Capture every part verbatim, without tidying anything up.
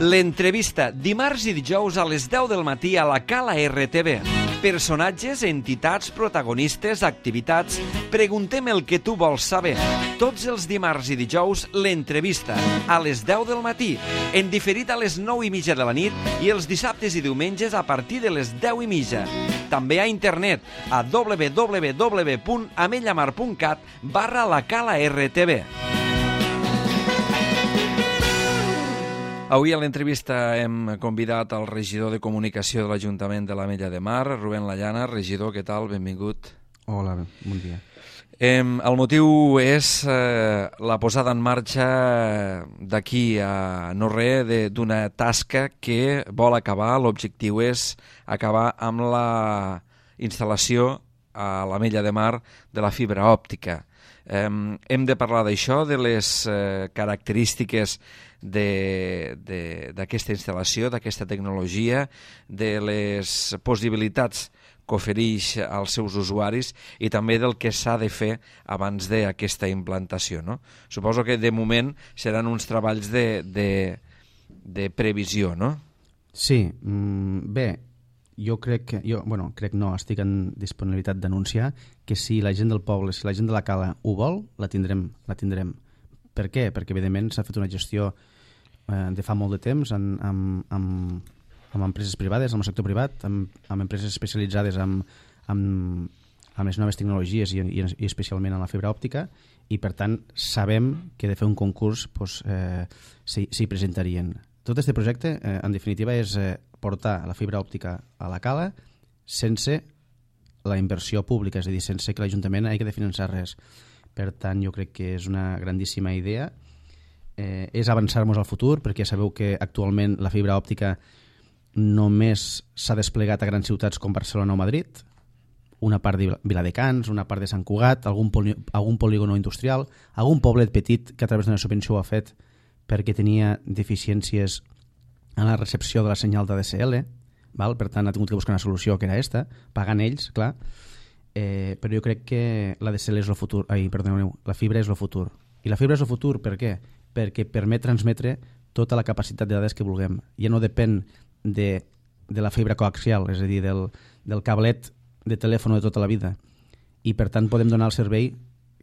L'entrevista, dimarts i dijous a les deu del matí a la Cala R T V. Personatges, entitats, protagonistes, activitats... Preguntem el que tu vols saber. Tots els dimarts i dijous, l'entrevista, a les deu del matí, en diferit a les nou i mitja de la nit i els dissabtes i diumenges a partir de les deu i mitja. També a internet, a w w w punt amellamar punt cat barra la Cala R T V. Avui a l'entrevista hem convidat el regidor de comunicació de l'Ajuntament de l'Ametlla de Mar, Rubén Layana. Regidor, què tal? Benvingut. Hola, bon dia. Eh, el motiu és eh, la posada en marxa d'aquí a no res d'una tasca que vol acabar. L'objectiu és acabar amb la instal·lació a l'Ametlla de Mar de la fibra òptica. Eh, hem de parlar d'això, de les eh, característiques d'aquesta instal·lació, d'aquesta tecnologia, de les possibilitats que ofereix als seus usuaris i també del que s'ha de fer abans d'aquesta implantació, no? Suposo que de moment seran uns treballs de, de, de previsió, no? Sí, bé, jo crec que, jo, bueno, crec no, estic en disponibilitat d'anunciar que si la gent del poble, si la gent de la Cala ho vol, la tindrem, la tindrem. Per què? Perquè evidentment s'ha fet una gestió eh, de fa molt de temps amb, amb, amb, amb empreses privades, amb el sector privat, amb, amb empreses especialitzades amb, amb, amb les noves tecnologies i, i, i especialment en la fibra òptica, i per tant sabem que de fer un concurs pues, eh, s'hi presentarien. Tot aquest projecte, eh, en definitiva, és eh, portar la fibra òptica a la Cala sense la inversió pública, és a dir, sense que l'Ajuntament hagi de finançar res. Per tant, jo crec que és una grandíssima idea. Eh, és avançar-nos al futur, perquè ja sabeu que actualment la fibra òptica només s'ha desplegat a grans ciutats com Barcelona o Madrid, una part de Viladecans, una part de Sant Cugat, algun, poli, algun polígono industrial, algun poblet petit que a través d'una subvenció ho ha fet perquè tenia deficiències en la recepció de la senyal d'A D S L, val? Per tant ha tingut que buscar una solució que era esta, pagant ells, clar, eh, però jo crec que l'A D S L és el futur, ai, perdoneu, la fibra és el futur. I la fibra és el futur, per què? Perquè permet transmetre tota la capacitat de dades que vulguem. Ja no depèn de, de la fibra coaxial, és a dir, del, del cablet de telèfon de tota la vida. I per tant podem donar el servei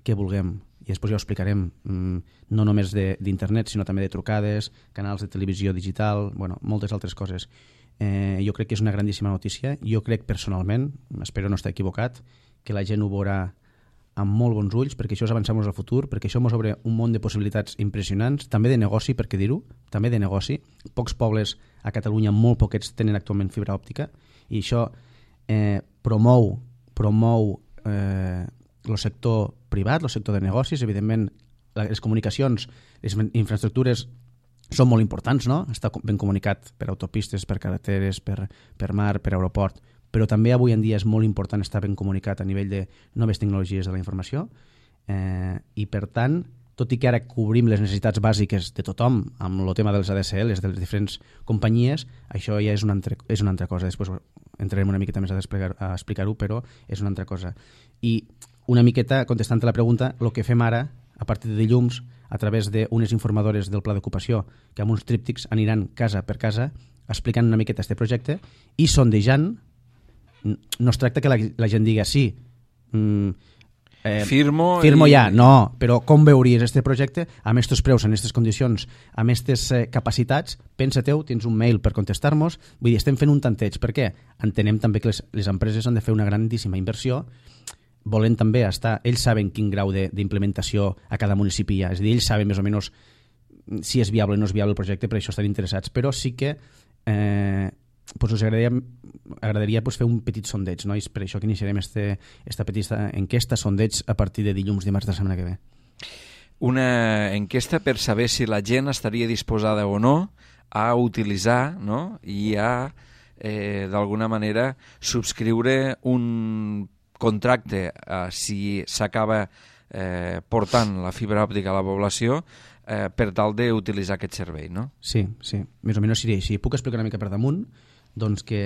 que vulguem. I després ja ho explicarem, no només d'internet, sinó també de trucades, canals de televisió digital, bueno, moltes altres coses. Eh, jo crec que és una grandíssima notícia. Jo crec personalment, espero no estar equivocat, que la gent ho veurà amb molt bons ulls, perquè això és avançar-nos al futur, perquè això ens obre un món de possibilitats impressionants, també de negoci, per què dir-ho, també de negoci. Pocs pobles a Catalunya, molt poquets, tenen actualment fibra òptica, i això eh, promou, promou eh, el sector privat, el sector de negocis. Evidentment, les comunicacions, les infraestructures són molt importants, no? Està ben comunicat per autopistes, per carreteres, per, per mar, per aeroport, però també avui en dia és molt important estar ben comunicat a nivell de noves tecnologies de la informació, eh, i per tant, tot i que ara cobrim les necessitats bàsiques de tothom amb el tema dels A D S Ls, de les diferents companyies, això ja és una altra, és una altra cosa. Després entrarem una miqueta més a, a explicar-ho, però és una altra cosa. I una miqueta, contestant a la pregunta, el que fem ara, a partir de dilluns, a través d'unes informadores del pla d'ocupació, que amb uns tríptics aniran casa per casa explicant una miqueta aquest projecte i sondejant. No es tracta que la, la gent diga sí, mm, eh, firmo, firmo i... ja, no, però com veuries aquest projecte amb aquests preus, en aquestes condicions, amb aquestes eh, capacitats? Pensa-teu, tens un mail per contestar-nos. Vull dir, estem fent un tanteig. Per què? Entenem també que les, les empreses han de fer una grandíssima inversió, volen també estar, ells saben quin grau d'implementació a cada municipi hi ha, és a dir, ells saben més o menys si és viable o no és viable el projecte, per això estan interessats, però sí que eh, pues us agradaria, agradaria pues, fer un petit sondeig, no? I és per això que iniciarem este, esta petita enquesta, sondeig, a partir de dilluns, dimarts de la setmana que ve. Una enquesta per saber si la gent estaria disposada o no a utilitzar, no? I a, eh, d'alguna manera, subscriure un contracte, eh, si s'acaba eh, portant la fibra òptica a la població, eh, per tal d'utilitzar aquest servei, no? Sí, sí, més o menys seria així. Puc explicar una mica per damunt? Doncs que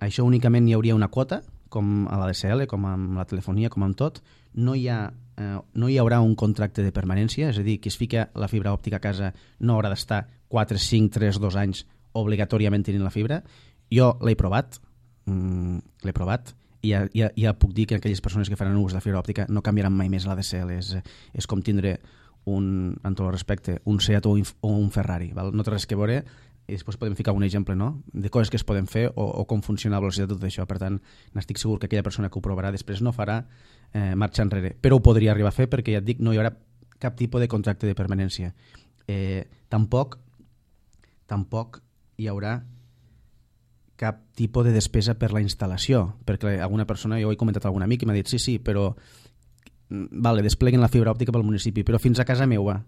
això únicament hi hauria una quota, com a l'A D S L, com amb la telefonia, com amb tot. No hi ha, eh, no hi haurà un contracte de permanència, és a dir, que es fica la fibra òptica a casa no haurà d'estar quatre, cinc, tres, dos anys obligatòriament tenint la fibra. Jo l'he provat, mm, l'he provat, i ja, ja, ja puc dir que aquelles persones que faran ús de la fibra òptica no canviaran mai més l'A D S L. És, és com tindre, un, en tot el respecte, un Seat o un, o un Ferrari. Val? No té res que veure, i després podem ficar un exemple, no?, de coses que es poden fer o, o com funciona la velocitat de tot això. Per tant, n'estic segur que aquella persona que ho provarà després no farà eh, marxa enrere. Però ho podria arribar a fer perquè, ja et dic, no hi haurà cap tipus de contracte de permanència. Eh, tampoc, tampoc hi haurà cap tipus de despesa per la instal·lació, perquè alguna persona, jo ho he comentat a algun amic i m'ha dit sí, sí, però vale, despleguen la fibra òptica pel municipi, però fins a casa meva.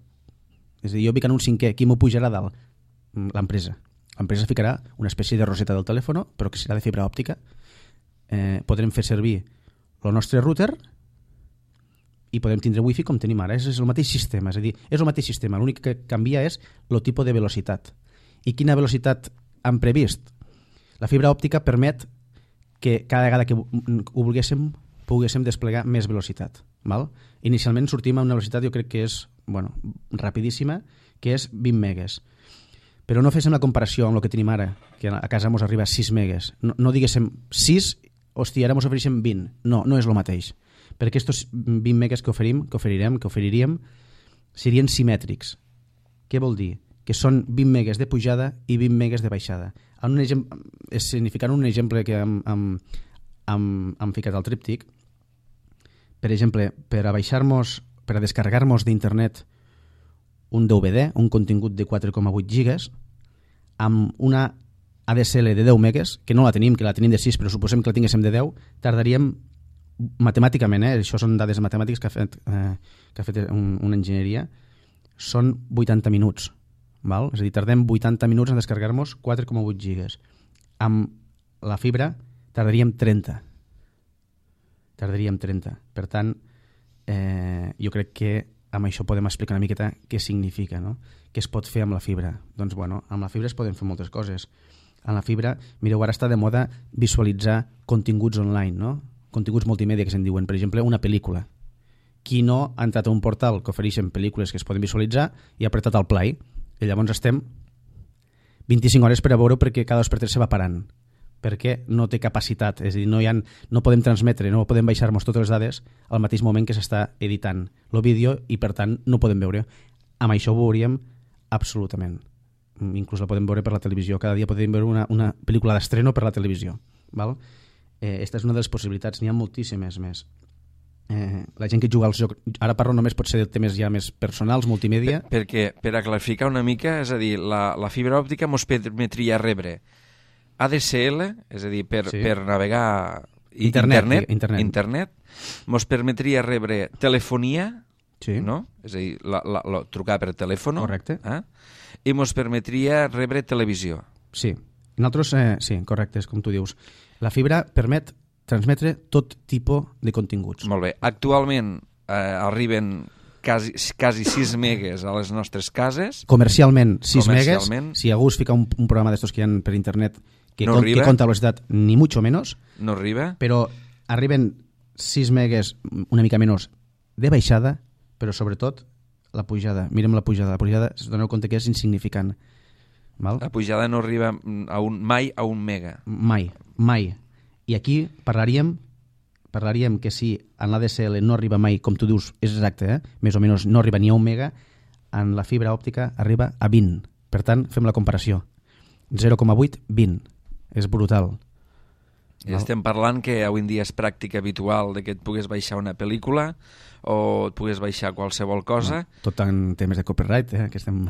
És a dir, jo vic en un cinquè, qui m'ho pujarà a dalt? L'empresa. L'empresa ficarà una espècie de roseta del telèfon, però que serà de fibra òptica. Eh, podrem fer servir el nostre router i podem tindre wifi com tenim ara. És, és el mateix sistema, és a dir, és el mateix sistema. L'únic que canvia és el tipus de velocitat. I quina velocitat han previst? La fibra òptica permet que cada vegada que ho volguéssim poguéssim desplegar més velocitat. Val? Inicialment sortim a una velocitat, jo crec que és bueno, rapidíssima, que és vint megues. Però no féssim la comparació amb el que tenim ara, que a casa ens arriba a sis megues. No, no diguéssim sis, hòstia, ara ens ofereixen vint. No, no és el mateix. Perquè aquests vint megues que oferim, que oferirem, que oferiríem, serien simètrics. Què vol dir? Que són vint megues de pujada i vint megues de baixada. En un exemple, significant un exemple que hem, hem, hem, hem ficat al tríptic, per exemple, per a baixar-nos, per a descarregar-nos d'internet un D V D, un contingut de quatre coma vuit gigas, amb una A D S L de deu megues, que no la tenim, que la tenim de sis, però suposem que la tinguéssim de deu, tardaríem matemàticament, eh, això són dades matemàtiques que ha fet, eh, que ha fet un, una enginyeria, són vuitanta minuts. Val? És a dir, tardem vuitanta minuts en descarregar-nos quatre coma vuit gigas. Amb la fibra tardaríem trenta. Tardaríem trenta. Per tant, eh, jo crec que amb això podem explicar una miqueta què significa, no? Què es pot fer amb la fibra. Doncs, bueno, amb la fibra es poden fer moltes coses. Amb la fibra, mireu, ara està de moda visualitzar continguts online, no? Continguts multimèdia que se'n diuen. Per exemple, una pel·lícula. Qui no ha entrat a un portal que ofereixen pel·lícules que es poden visualitzar i ha apretat el play. I llavors estem vint-i-cinc hores per a veure perquè cada dos per tres se va parant. Perquè no té capacitat. És a dir, no, hi ha, no podem transmetre, no podem baixar-nos totes les dades al mateix moment que s'està editant el vídeo i, per tant, no podem veure. Amb això ho veuríem absolutament. Inclús la podem veure per la televisió. Cada dia podem veure una, una pel·lícula d'estreno per la televisió. Val? Eh, esta és una de les possibilitats. N'hi ha moltíssimes més. Eh, la gent que juga als jocs, ara parlo només pot ser de temes ja més personals, multimèdia. Per, perquè, per a clarificar una mica, és a dir, la, la fibra òptica ens permetria rebre A D S L, és a dir, per, sí. per navegar internet, internet, internet. internet, ens permetria rebre telefonia, sí. no? És a dir, la, la, la, trucar per telèfon, correcte. Eh? I ens permetria rebre televisió. Sí, nosaltres, eh, sí, correcte, és com tu dius. La fibra permet transmetre tot tipus de continguts. Molt bé. Actualment eh, arriben quasi, quasi sis megues a les nostres cases. Comercialment, sis Comercialment. megues. Si algú es fica un, un programa d'estos que hi ha per internet que, no con, que compta velocitat, ni mucho menos. No arriba. Però arriben sis megues, una mica menys, de baixada, però sobretot la pujada. Mirem la pujada. La pujada, es doneu compte que és insignificant. Val? La pujada no arriba a un, mai a un mega. Mai, mai. I aquí parlaríem parlaríem que si en l'A D S L no arriba mai, com tu dius, és exacte, eh? Més o menys no arriba ni a un mega, en la fibra òptica arriba a vint. Per tant, fem la comparació. zero coma vuit, vint. És brutal. I estem parlant que avui en dia és pràctica habitual de que et pugues baixar una pel·lícula o et pugues baixar qualsevol cosa. No, tot en temes de copyright, eh? Que estem...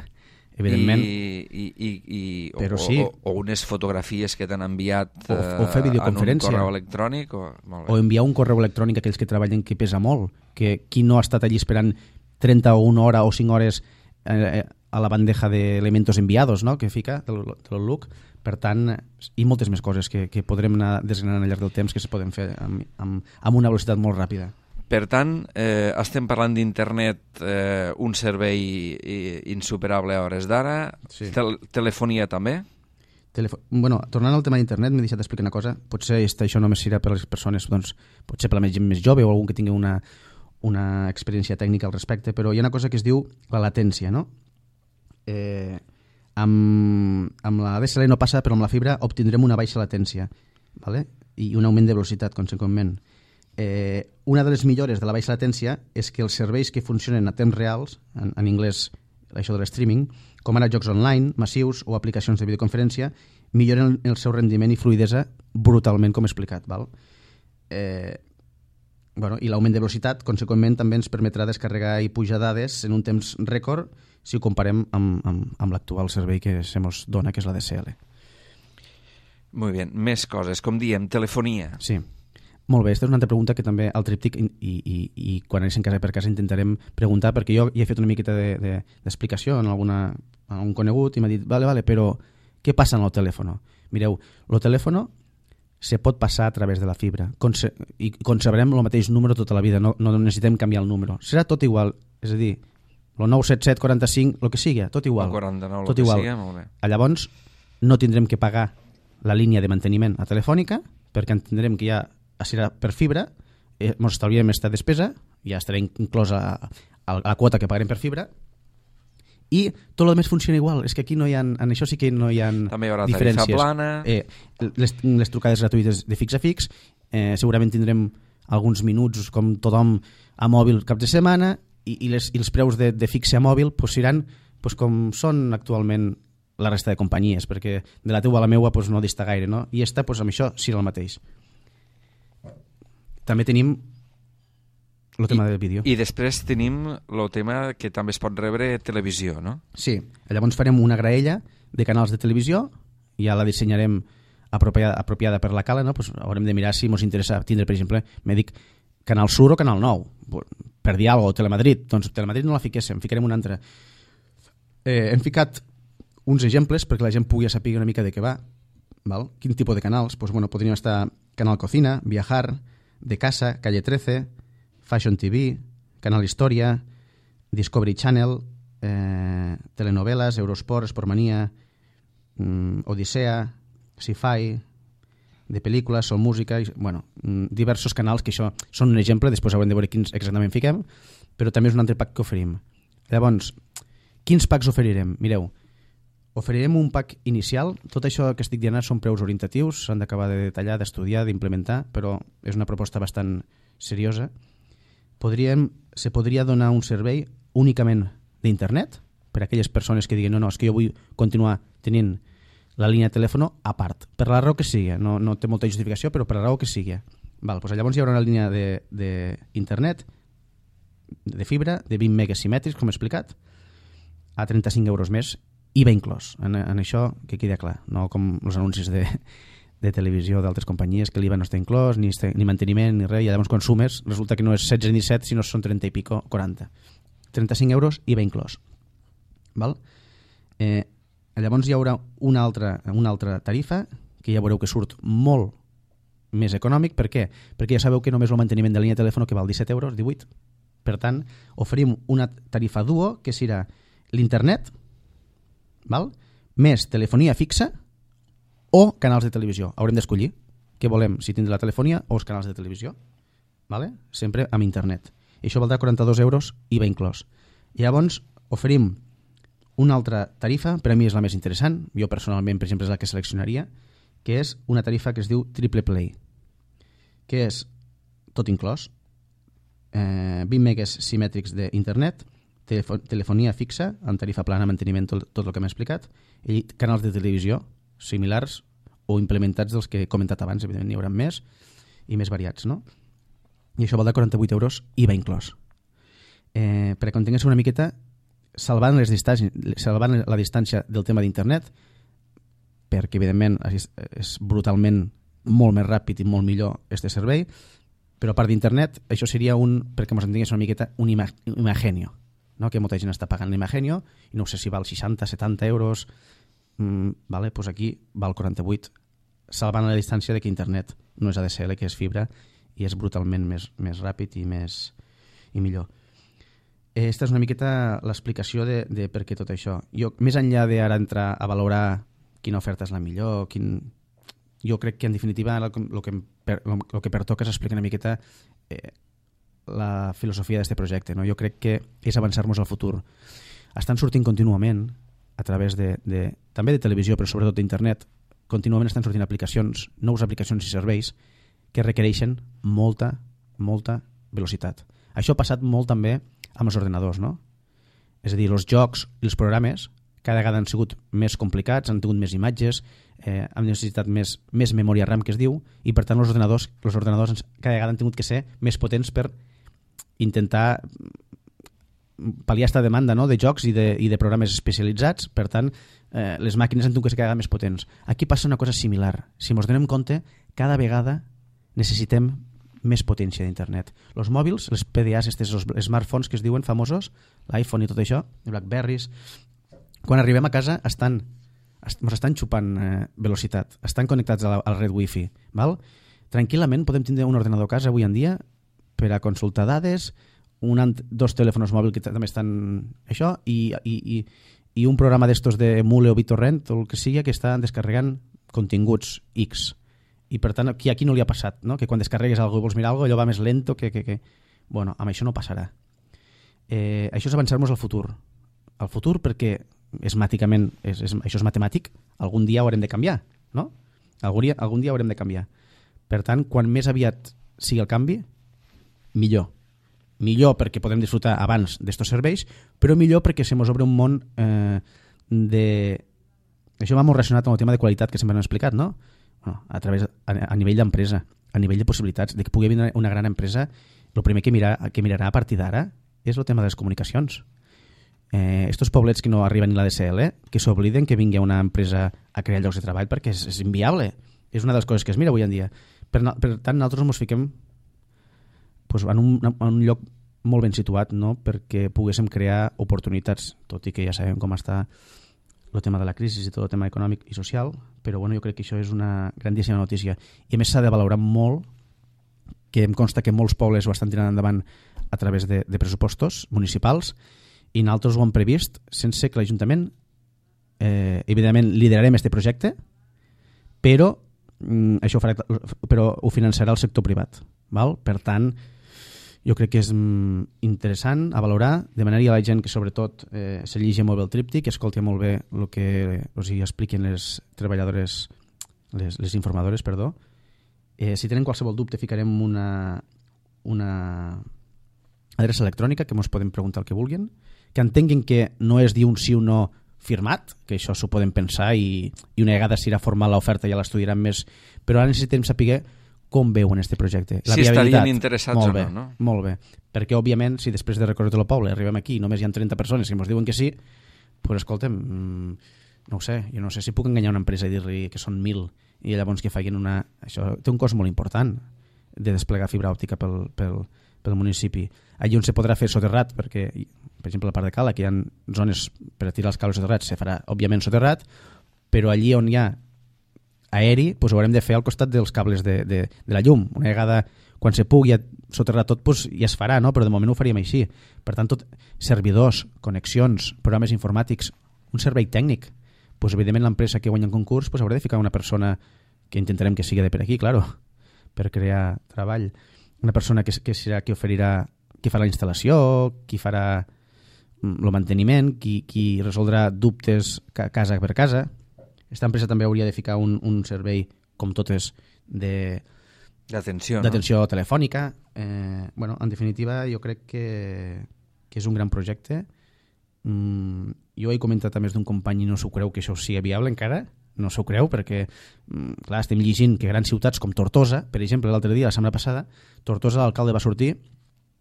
evidentment. I, i, i, i, Però o, sí. o, o unes fotografies que t'han enviat o, o fer videoconferència. en un correu electrònic. O, molt bé. O enviar un correu electrònic a aquells que treballen que pesa molt, que qui no ha estat allí esperant trenta o una hora o cinc hores eh, a la bandeja d'elementos enviados, no?, que fica del, del L U C. Per tant, i moltes més coses que, que podrem anar desgranant al llarg del temps que se poden fer amb, amb, amb una velocitat molt ràpida. Per tant, eh, estem parlant d'internet, eh, un servei insuperable a hores d'ara, sí. Tel telefonia també? Telefo bueno, tornant al tema d'internet, m'he deixat d'explicar una cosa. Potser això només serà per les persones, doncs, potser per la gent més jove o algú que tingui una, una experiència tècnica al respecte, però hi ha una cosa que es diu la latència, no? Eh, Amb, amb la D S L no passa, però amb la fibra obtindrem una baixa latència, ¿vale? I un augment de velocitat, conseqüentment. Eh, una de les millores de la baixa latència és que els serveis que funcionen a temps reals, en, en anglès això de l'streaming, com ara jocs online, massius o aplicacions de videoconferència, milloren el seu rendiment i fluidesa brutalment, com he explicat. Val? Eh, bueno, I l'augment de velocitat, conseqüentment, també ens permetrà descarregar i pujar dades en un temps rècord si ho comparem amb, amb, amb l'actual servei que se mos dona, que és la D S L. Molt bé, més coses, com diem, telefonia. Sí, molt bé, aquesta és una altra pregunta que també al tríptic i, i, i quan anem casa per casa intentarem preguntar, perquè jo ja he fet una miqueta d'explicació de, de, en, alguna, en algun conegut i m'ha dit, vale, vale, però què passa en el telèfon? Mireu, el telèfon se pot passar a través de la fibra Conce i conservarem el mateix número tota la vida, no, no necessitem canviar el número, serà tot igual, és a dir, el nou set set quaranta-cinc, el que sigui, tot igual. El quaranta-nou, tot el que igual. sigui, molt bé. Llavors, no tindrem que pagar la línia de manteniment a Telefònica, perquè entendrem que ja serà per fibra, eh, ens estalviem aquesta despesa, ja estarà inclosa a, a la quota que pagarem per fibra, i tot el més funciona igual. És que aquí no hi ha, en això sí que no hi ha també hi haurà diferències. tarifa plana. Eh, les, les trucades gratuïtes de fix a fix, eh, segurament tindrem alguns minuts com tothom a mòbil cap de setmana, i, i, les, i els preus de, de fixe a mòbil pues, seran pues, com són actualment la resta de companyies, perquè de la teua a la meua pues, no dista gaire, no? I esta, pues, amb això serà el mateix. També tenim el tema I, del vídeo. I després tenim el tema que també es pot rebre televisió, no? Sí, llavors farem una graella de canals de televisió, ja la dissenyarem apropiada, apropiada per la cala, no? Pues haurem de mirar si ens interessa tindre, per exemple, me dic Canal Sur o Canal nou, per dir alguna cosa, o Telemadrid. Doncs Telemadrid no la fiquéssim, ficarem una altra. Eh, hem ficat uns exemples perquè la gent pugui saber una mica de què va. Val? Quin tipus de canals? Pues, bueno, podrien estar Canal Cocina, Viajar, De Casa, Calle trece, Fashion T V, Canal Historia, Discovery Channel, eh, telenovelas, Eurosport, Sportmania, mm, Odissea, Sci-Fi, de pel·lícules, o música, i, bueno, diversos canals que això són un exemple, després haurem de veure quins exactament fiquem, però també és un altre pack que oferim. Llavors, quins packs oferirem? Mireu, oferirem un pack inicial, tot això que estic dient són preus orientatius, s'han d'acabar de detallar, d'estudiar, d'implementar, però és una proposta bastant seriosa. Podríem, se podria donar un servei únicament d'internet, per a aquelles persones que diguen no, no, és que jo vull continuar tenint la línia de telèfon a part, per la raó que sigui, no, no té molta justificació, però per la raó que sigui. Val, doncs llavors hi haurà una línia d'internet, de, de fibra, de vint megas simètrics, com he explicat, a trenta-cinc euros més, I V A inclòs. En, en això que queda clar, no com els anuncis de, de televisió d'altres companyies, que l'I V A no està inclòs, ni, este, ni manteniment, ni res, i llavors quan sumes, resulta que no és setze ni disset, sinó són trenta i pico, quaranta. trenta-cinc euros, I V A inclòs. Val? Eh, Llavors hi haurà una altra, una altra tarifa que ja veureu que surt molt més econòmic. Per què? Perquè ja sabeu que només el manteniment de línia de telèfon que val disset euros, divuit. Per tant, oferim una tarifa duo que serà l'internet, val? Més telefonia fixa o canals de televisió. Haurem d'escollir què volem, si tindre la telefonia o els canals de televisió. Vale? Sempre amb internet. I això valdrà quaranta-dos euros, I V A inclòs. I llavors oferim una altra tarifa, per a mi és la més interessant, jo personalment, per exemple, és la que seleccionaria, que és una tarifa que es diu Triple Play, que és tot inclòs, eh, vint megas simètrics d'internet, telefo telefonia fixa, amb tarifa plana, manteniment, tot, tot el que m'he explicat, i canals de televisió similars o implementats dels que he comentat abans, evidentment n'hi haurà més i més variats, no? I això valdrà quaranta-vuit euros, I V A inclòs. Eh, per a que entengués una miqueta, salvant, les salvant la distància del tema d'internet, perquè evidentment és, és brutalment molt més ràpid i molt millor este servei, però a part d'internet això seria un, perquè ens entengués una miqueta, un ima, Imagenio, no? Que molta gent està pagant l'Imagenio i no sé si val seixanta, setanta euros, mm, vale? Pues aquí val quaranta-vuit, salvant la distància de que internet no és A D S L, que és fibra i és brutalment més, més ràpid i més i millor. Esta és una miqueta l'explicació de, de per què tot això. Jo, més enllà d'ara entrar a valorar quina oferta és la millor, quin... jo crec que en definitiva el, el, que, per, el, el que pertoca és explicar una miqueta eh, la filosofia d'aquest projecte. No? Jo crec que és avançar-nos al futur. Estan sortint contínuament a través de, de, també de televisió, però sobretot d'internet, contínuament estan sortint aplicacions, nous aplicacions i serveis que requereixen molta, molta velocitat. Això ha passat molt també amb els ordenadors, no? És a dir, els jocs i els programes cada vegada han sigut més complicats, han tingut més imatges, eh, han necessitat més, més memòria RAM, que es diu, i per tant els ordenadors, els ordenadors cada vegada han tingut que ser més potents per intentar pal·liar aquesta demanda, no?, de jocs i de, i de programes especialitzats. Per tant, eh, les màquines han tingut que ser cada vegada més potents. Aquí passa una cosa similar. Si ens donem compte, cada vegada necessitem més potència d'internet. Els mòbils, els P D As, els smartphones que es diuen famosos, l'iPhone i tot això, els Blackberries, quan arribem a casa estan, ens estan xupant eh, velocitat, estan connectats a la, a la red Wi-Fi. Val? Tranquil·lament podem tindre un ordenador a casa avui en dia per a consultar dades, un, dos telèfons mòbils que també estan això, i, i, i, i un programa d'estos de Mule o BitTorrent o el que sigui que estan descarregant continguts X. I per tant, aquí, aquí no li ha passat, no? Que quan descarregues alguna cosa i vols mirar alguna cosa, allò va més lento que... que, que... Bueno, amb això no passarà. Eh, això és avançar-nos al futur. Al futur perquè és màticament, és, és, això és matemàtic, algun dia haurem de canviar, no? Algun dia, algun dia haurem de canviar. Per tant, quan més aviat sigui el canvi, millor. Millor perquè podem disfrutar abans d'estos serveis, però millor perquè se mos obre un món eh, de... Això va molt relacionat amb el tema de qualitat que sempre hem explicat, no? Bueno, a, través, a, a nivell d'empresa, a nivell de possibilitats, de que pugui vindre una gran empresa, el primer que, mirar, que mirarà a partir d'ara és el tema de les comunicacions. Eh, estos poblets que no arriben ni la D S L, que s'obliden que vingui una empresa a crear llocs de treball perquè és, és inviable. És una de les coses que es mira avui en dia. Per, per tant, nosaltres ens fiquem pues, en, un, en un lloc molt ben situat, no?, perquè poguéssim crear oportunitats, tot i que ja sabem com està el tema de la crisi i tot el tema econòmic i social, però bueno, jo crec que això és una grandíssima notícia. I a més s'ha de valorar molt, que em consta que molts pobles ho estan tirant endavant a través de, de pressupostos municipals, i nosaltres ho hem previst sense que l'Ajuntament, eh, evidentment, liderarem aquest projecte, però, mm, això ho farà, però ho finançarà el sector privat. Val? Per tant, jo crec que és mm, interessant a valorar. Demanaria a la gent que sobretot eh, se llegeixi molt bé el tríptic, que escolti molt bé el que o sigui, expliquen les treballadores, les, les informadores, perdó. Eh, si tenen qualsevol dubte ficarem una, una adreça electrònica que ens poden preguntar el que vulguin, que entenguin que no és dir un sí o no firmat, que això s'ho poden pensar i, i una vegada s'irà formal l'oferta ja l'estudiaran més, però ara necessitem saber com veuen aquest projecte. La si estarien interessats molt o bé, no, no? Molt bé, perquè òbviament si després de recórrer tot el poble arribem aquí i només hi ha trenta persones que ens diuen que sí, doncs escolta'm, no ho sé, jo no sé si puc enganyar una empresa i dir-li que són mil i llavors que facin una... Això té un cost molt important de desplegar fibra òptica pel, pel, pel municipi. Allí on se podrà fer soterrat, perquè, per exemple, a la part de Cala, que hi ha zones per a tirar els cables soterrats, se farà, òbviament, soterrat, però allí on hi ha aeri, doncs ho haurem de fer al costat dels cables de, de, de la llum. Una vegada, quan se pugui soterrar tot, doncs ja es farà, no? Però de moment ho faríem així. Per tant, tot, servidors, connexions, programes informàtics, un servei tècnic, doncs evidentment l'empresa que guanya un concurs doncs haurà de ficar una persona que intentarem que sigui de per aquí, claro, per crear treball. Una persona que, que serà qui oferirà, qui farà la instal·lació, qui farà el manteniment, qui, qui resoldrà dubtes casa per casa. Aquesta empresa també hauria de ficar un, un servei, com totes, de d'atenció, d'atenció no? telefònica. Eh, bueno, en definitiva, jo crec que, que és un gran projecte. Mm, jo he comentat a més d'un company i no s'ho creu que això sigui viable encara, no s'ho creu perquè, mm, clar, estem llegint que grans ciutats com Tortosa, per exemple, l'altre dia, la setmana passada, Tortosa, l'alcalde va sortir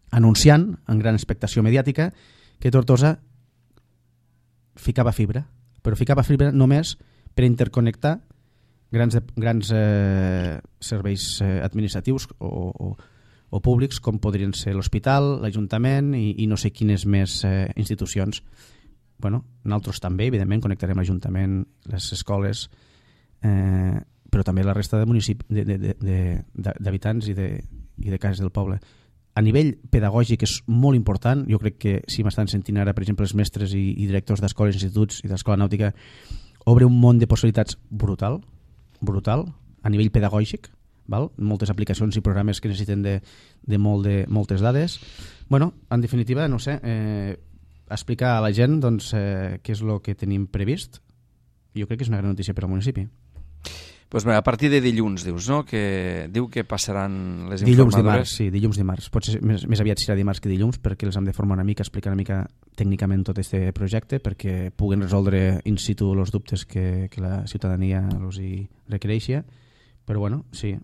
anunciant, en gran expectació mediàtica, que Tortosa ficava fibra, però ficava fibra només per interconnectar grans, grans eh, serveis eh, administratius o, o, o públics com podrien ser l'hospital, l'Ajuntament i, i no sé quines més eh, institucions. Bueno, nosaltres també, evidentment, connectarem l'Ajuntament, les escoles, eh, però també la resta de municipi, de, de, de, de, d'habitants i de, i de cases del poble. A nivell pedagògic és molt important. Jo crec que si m'estan sentint ara, per exemple, els mestres i, i directors d'escoles, instituts i d'escola nàutica, obre un món de possibilitats brutal, brutal, a nivell pedagògic, val? Moltes aplicacions i programes que necessiten de, de, molt de moltes dades. Bueno, en definitiva, no sé, eh, explicar a la gent doncs, eh, què és el que tenim previst. Jo crec que és una gran notícia per al municipi. Pues bé, a partir de dilluns, dius, no? Que diu que passaran les dilluns, informadores. Dimarts, sí, dilluns, dimarts. Potser més, més aviat serà dimarts que dilluns, perquè els hem de formar una mica, explicar una mica tècnicament tot aquest projecte, perquè puguen resoldre in situ els dubtes que, que la ciutadania els hi requereixi. Però bueno, sí,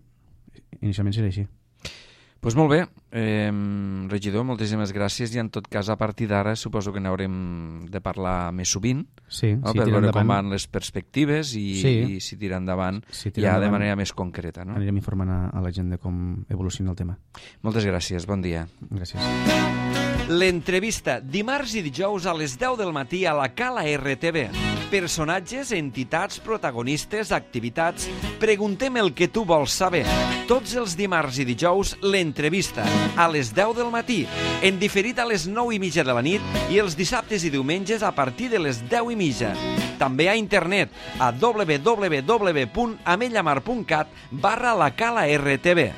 inicialment serà així. Doncs pues molt bé, eh, regidor, moltíssimes gràcies, i en tot cas a partir d'ara suposo que n'haurem de parlar més sovint, sí, no? sí, Per veure endavant. com van les perspectives i, sí. i si tira endavant si ja endavant, de manera més concreta. No? Anirem informant a, a la gent de com evoluciona el tema. Moltes gràcies, bon dia. Gràcies. L'entrevista, dimarts i dijous a les deu del matí a la Cala R T V. Personatges, entitats, protagonistes, activitats... Preguntem el que tu vols saber. Tots els dimarts i dijous, l'entrevista, a les deu del matí, en diferit a les nou i mitja de la nit i els dissabtes i diumenges a partir de les deu i mitja. També a internet, a w w w punt amellamar punt cat barra la Cala R T V.